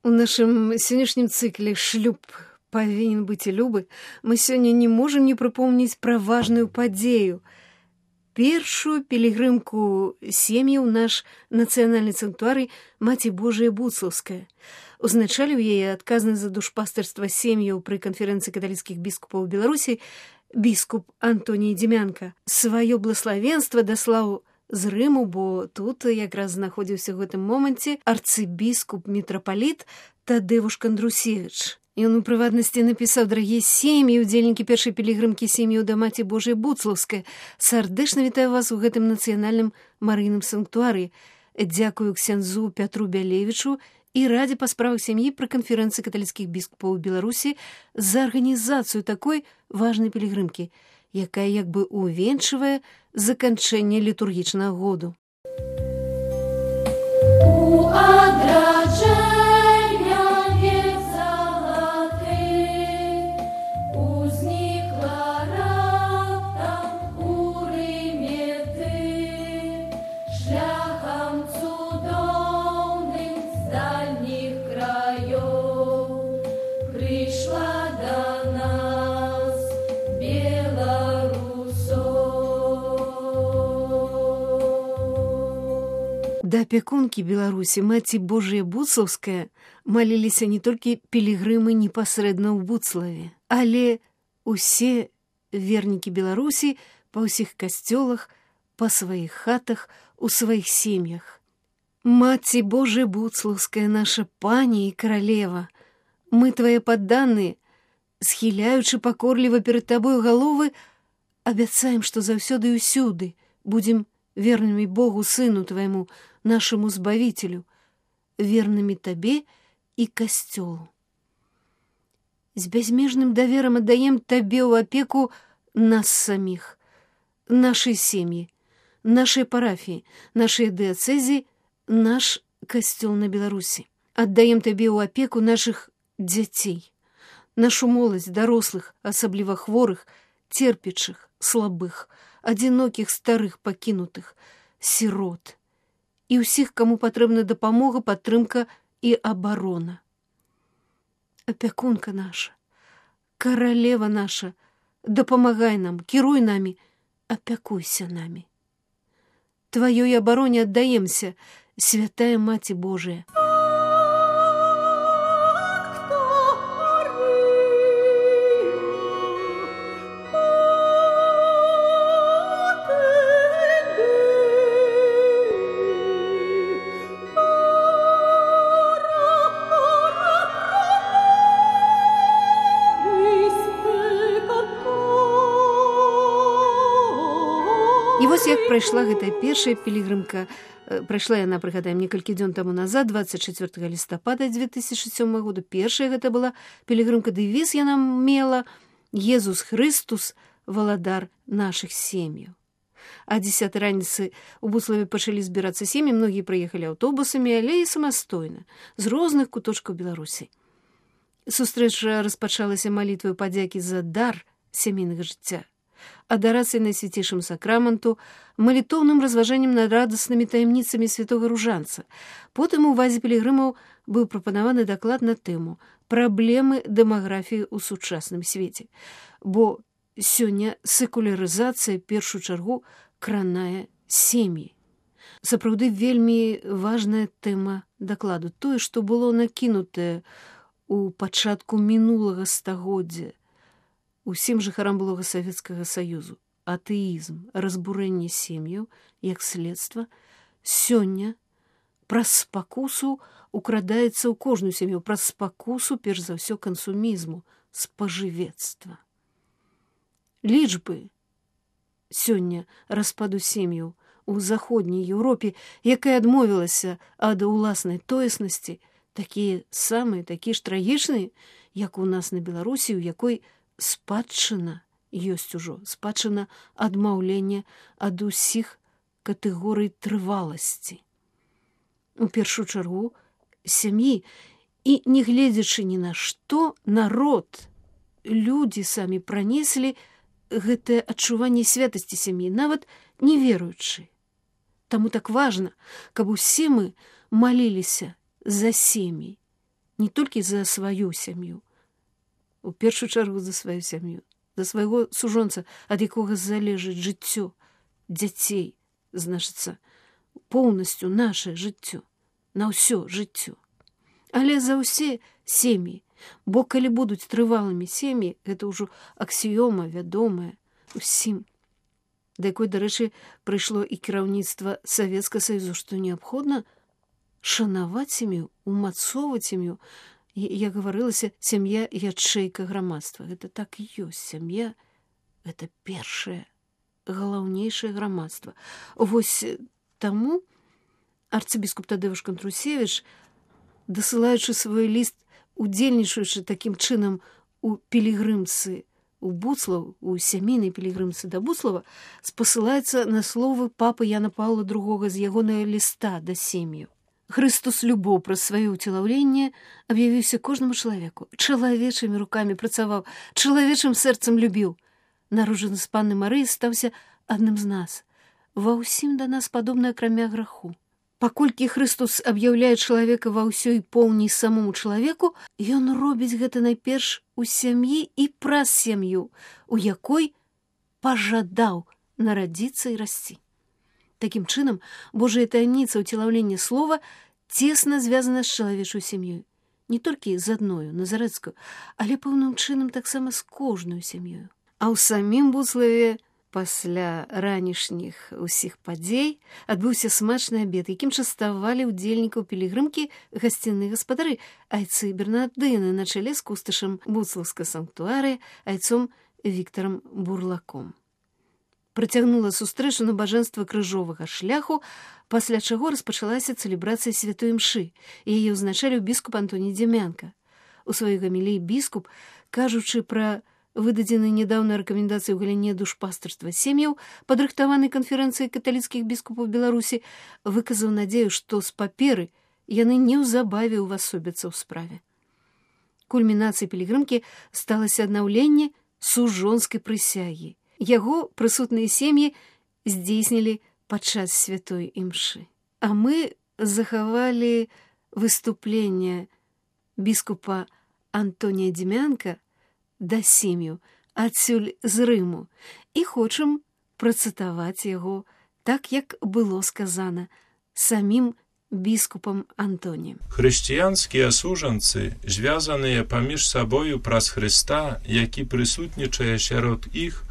У нашым сённяшнім цыкле «Шлюб павінен быць і любы» мы сёння не можам не прыпомніць пра важную падзею. Першую пілігрымку сем'яў наш нацыянальны санктуарый Маці Божая Буцлаўская. Узначаліў яе адказны за душпастырства сем'яў пры канферэнцыі каталіцкіх біскупаў Беларусі біскуп Антоній Дзімянка. Сваё блаславенства даслаў з Рыму, бо тут якраз знаходзіўся ў гэтым моманце арцыбіскуп мітрапаліт Тадзеуш Кандрусевіч. Ён у прыватнасці напісаў: «Дарагія сем'і, удзельнікі першай пілігрымкі сем'яў да Маці Божай Буцлаўскай, сардэчна вітаю вас у гэтым нацыянальным марыйным санктуарыі. Дзякую ксяндзу Пятру Бялевічу і радзе па справах сям'і пры канферэнцыі каталіцкіх біскупаў Беларусі за арганізацыю такой важнай пілігрымкі, якая як бы увенчвае заканчэнне літургічнага году». Да апякункі Беларусі Маці Божая Буцлаўская маліліся не толькі пілігрымы непасрэдна ў Буцлаве, але усе вернікі Беларусі па ўсіх касцёлах, па сваіх хатах, у сваіх сем'ях. Маці Божая Буцлаўская, наша пані і каралева, мы твае падданыя, схіляючы пакорліва перад табою галовы, абяцаем, што заўсёды і ўсюды будзем вернымі Богу, Сыну твайму, нашему Збавителю, вернымі табе і касцёлу. З бязмежным даверам аддаем табе ў апеку нас саміх, нашай сем'і, нашай парафіі, нашай дыяцэзі, наш касцёл на Беларусі. Аддаем табе ў апеку нашых дзяцей, нашу моладзь, дарослых, асабліва хворых, церпячых, слабых, адзінокіх, старых, пакінутых, сірот і ўсіх, каму патрэбна дапамога, падтрымка і абарона. Апякунка наша, каралева наша, дапамагай нам, кіруй намі, апякуйся намі. Тваёй абароне аддаемся, святая Маці Божая. І вось як прайшла гэтая першая пілігрымка. Прайшла яна, прыгадаем, некалькі дзён таму назад, 24 лістапада 2007 году. Першая гэта была пілігрымка, дэвіз яна мела: «Езус Хрыстус, валадар нашых сем'яў». А 10 раніцы у Буцлаве пачалі збірацца сем'і, многія прыехалі аўтобусамі, але і самастойна, з розных куточкаў Беларусі. Сустрэча распачалася малітваю падзякі за дар сямейнага жыцця, адарацыяй Найсвяцейшаму сакраменту, малітоўным разважаннем над радаснымі таямніцамі святога ружанца. Потым у увазе пілігрымаў быў прапанаваны даклад на тэму «Праблемы дэмаграфіі ў сучасным свеце», бо сёння секулярызацыя першую чаргу кранае сем'і. Сапраўды вельмі важная тэма дакладу, тое, што было накінутае у пачатку мінулага стагоддзя усім жыхарам былога Савецкага Саюзу. Атэізм, разбурэнне сем'яў, як следства, сёння праз спакусу украдаецца ў кожную сям'ю, праз спакусу, перш за ўсё, кансумізму, спажывецтва. Лічбы сёння распаду сем'яў у заходняй Еўропе, якая адмовілася ад уласнай тоеснасці, такія самыя, такія ж трагічныя, як у нас на Беларусі, у якой спадчына ёсць ужо, спадчына адмаўлення ад усіх катэгорый трываласці. У першую чаргу сям'і, і не гледзячы ні на што, народ, людзі самі пранеслі гэтае адчуванне святасці сям'і, нават не веруючы. Таму так важна, каб усе мы маліліся за сем'і, не толькі за сваю сям'ю, у першую чаргу за сваю сям'ю, за свайго сужонца, ад якога залежыць жыццё дзяцей, значыцца, поўнасцю нашае жыццё, на ўсё жыццё. Але за ўсе сем'і, бо калі будуць трывалымі сем'і, гэта ўжо аксіёма вядомая усім, да якой, дарэчы, прыйшло і кіраўніцтва Савецкага Саюзу, што неабходна шанаваць сям'ю, умацоўваць сям'ю. Як гаварылася, сям'я ячэйка грамадства. Гэта так і ёсць. Сям'я — гэта першае, галаўнейшае грамадства. Вось таму арцыбіскуп Тадэвуш Кантрусевіч, дасылаючы свой ліст, удзельнічаючы такім чынам у пілігрымцы у Буцлаў, у сямейнай пілігрымцы да Буцлава, спасылаецца на словы папы Яна Паўла II з ягонага ліста да сем'яў. Христус любоў праз сваё ўцелаўленне аб'явіўся кожнаму чалавеку, чалавечымі рукамі працаваў, чалавечым сэрцам любіў. Народжаны з Панны Марыі стаўся адным з нас, ва ўсім да нас падобны акрамя граху. Паколькі Христус аб'яўляе чалавека ва ўсёй поўні самому чалавеку, ён робіць гэта найперш у сям'і і праз сям'ю, у якой пажадаў нарадзіцца і расці. Такім чынам, Божая таямніца ўцелаўлення слова цесна звязана з чалавечай сям'ёй. Не толькі з адною, назарэцкаю, але пэўным чынам таксама з кожнаю сям'ёю. А ў самім Буцлаве пасля ранішніх усіх падзей адбыўся смачны абед, якім частавалі ўдзельнікаў пілігрымкі гасціныя гаспадары, айцы Бернардыны на чале з кусташам Буцлаўскага санктуарыя, айцом Віктарам Бурлаком. Працягнула сустрэчу набажэнства крыжовага шляху, пасля чаго распачалася цэлебрацыя святой імшы. Яе ўзначаліў біскуп Антоній Дзямянка. У сваёй гаміліі біскуп, кажучы пра выдадзены нядаўна рэкамендацыі ў галіне душпастарства сем'яў, падрыхтаванай канферэнцыяй каталіцкіх біскупаў Беларусі, выказаў надзею, што з паперы яны неўзабаве ўвасобяцца ў справе. Кульмінацыяй пілігрымкі сталася аднаўленне сужонскай прысягі. Яго прысутныя сем'і здзейснілі падчас святой імшы. А мы захавалі выступленне біскупа Антонія Дзямянка да сем'яў адсюль з Рыму і хочам працытаваць яго так, як было сказана самім біскупам Антоніем. Хрысціянскія сужанцы, звязаныя паміж сабою праз Хрыста, які прысутнічае сярод іх,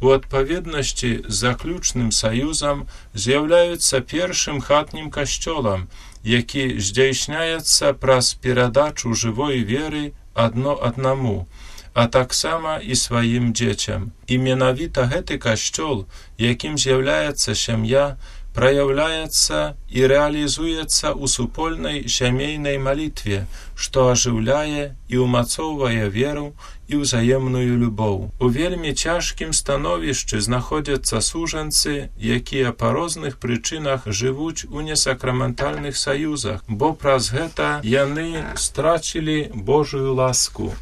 у адпаведнасці з заключным саюзам з'яўляюцца першым хатнім касцёлам, які здзяйсняецца праз перадачу жывой веры адно аднаму, а таксама і сваім дзецям. І менавіта гэты касцёл, якім з'яўляецца сям'я, праяўляецца і рэалізуецца ў супольнай сямейнай малітве, што ажыўляе і ўмацоўвае веру і ўзаемную любоў. У вельмі цяжкім становішчы знаходзяцца сужанцы, якія па розных прычынах жывуць у несакраментальных саюзах, бо праз гэта яны страцілі Божую ласку.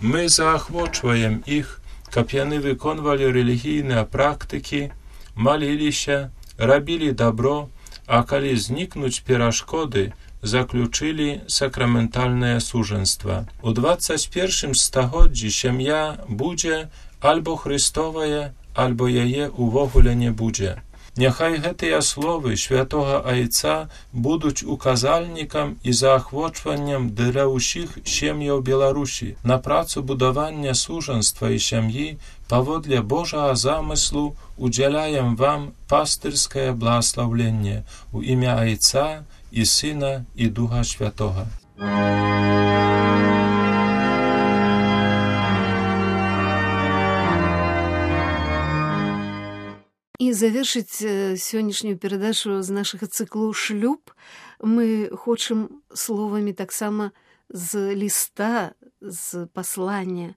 Мы заахвочваем іх, каб яны выконвалі рэлігійныя практыкі, маліліся, рабілі дабро, а калі знікнуць перашкоды, заключылі сакраментальнае сужанства. У 21 стагоддзі сям'я будзе альбо Христовая, альбо яе увогуле не будзе. Няхай гэтыя словы святога Айца будуць указальнікам і заахвочваннем для ўсіх сем'яў Беларусі на працу будавання сужанства і сям'і паводле Божага замыслу удзяляем вам пастырскае благаслаўленне у імя Айца і Сына і Духа Святога. І завершыць сённяшнюю перадачу з нашага цыклу «Шлюб» мы хочам словамі таксама з ліста, з паслання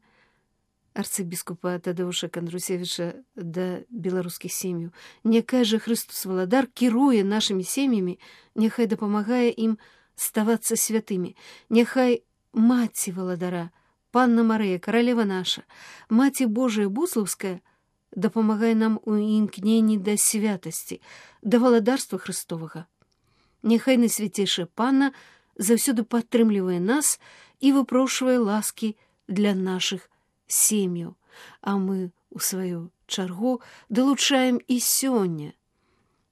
арцыбіскупа Тадэвуша Кантрусевіча да беларускіх сем'яў. Няхай жа Христус Валадар кіруе нашымі сем'ямі, няхай дапамагае ім ставацца святымі. Няхай маці Валадара, Панна Марыя, каралева наша, маці Божая Буцлаўская дапамагай нам у імкненні да святасці, да валадарства Христовага. Няхай найсвяцейшая Панна заўсёды падтрымлівае нас і выпрошвае ласкі для нашых сем'яў. А мы, у сваю чаргу, далучаем і сёння.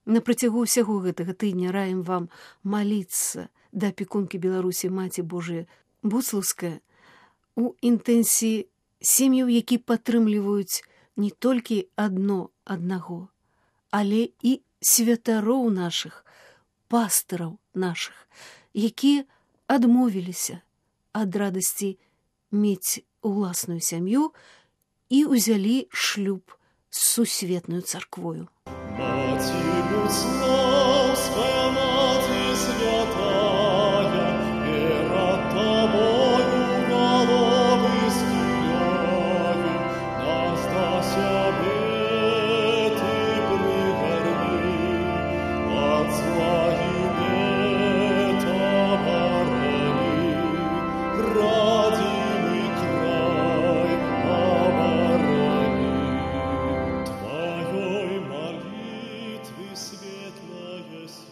На працягу ўсяго гэтага тыдня раім вам маліцца да апекункі Беларусі Маці Божыя Буслаўская у інтэнсіі сем'яў, які падтрымліваюць не толькі аднаго, але і святароў нашых, пастыраў нашых, якія адмовіліся ад радасці мець уласную сям'ю і ўзялі шлюб з сусветнаю царквою. Маці Буслаўская, маці святая, перад табою галовы схіляем, нас да сябе ты прыгарні, ад зла і бед абарані.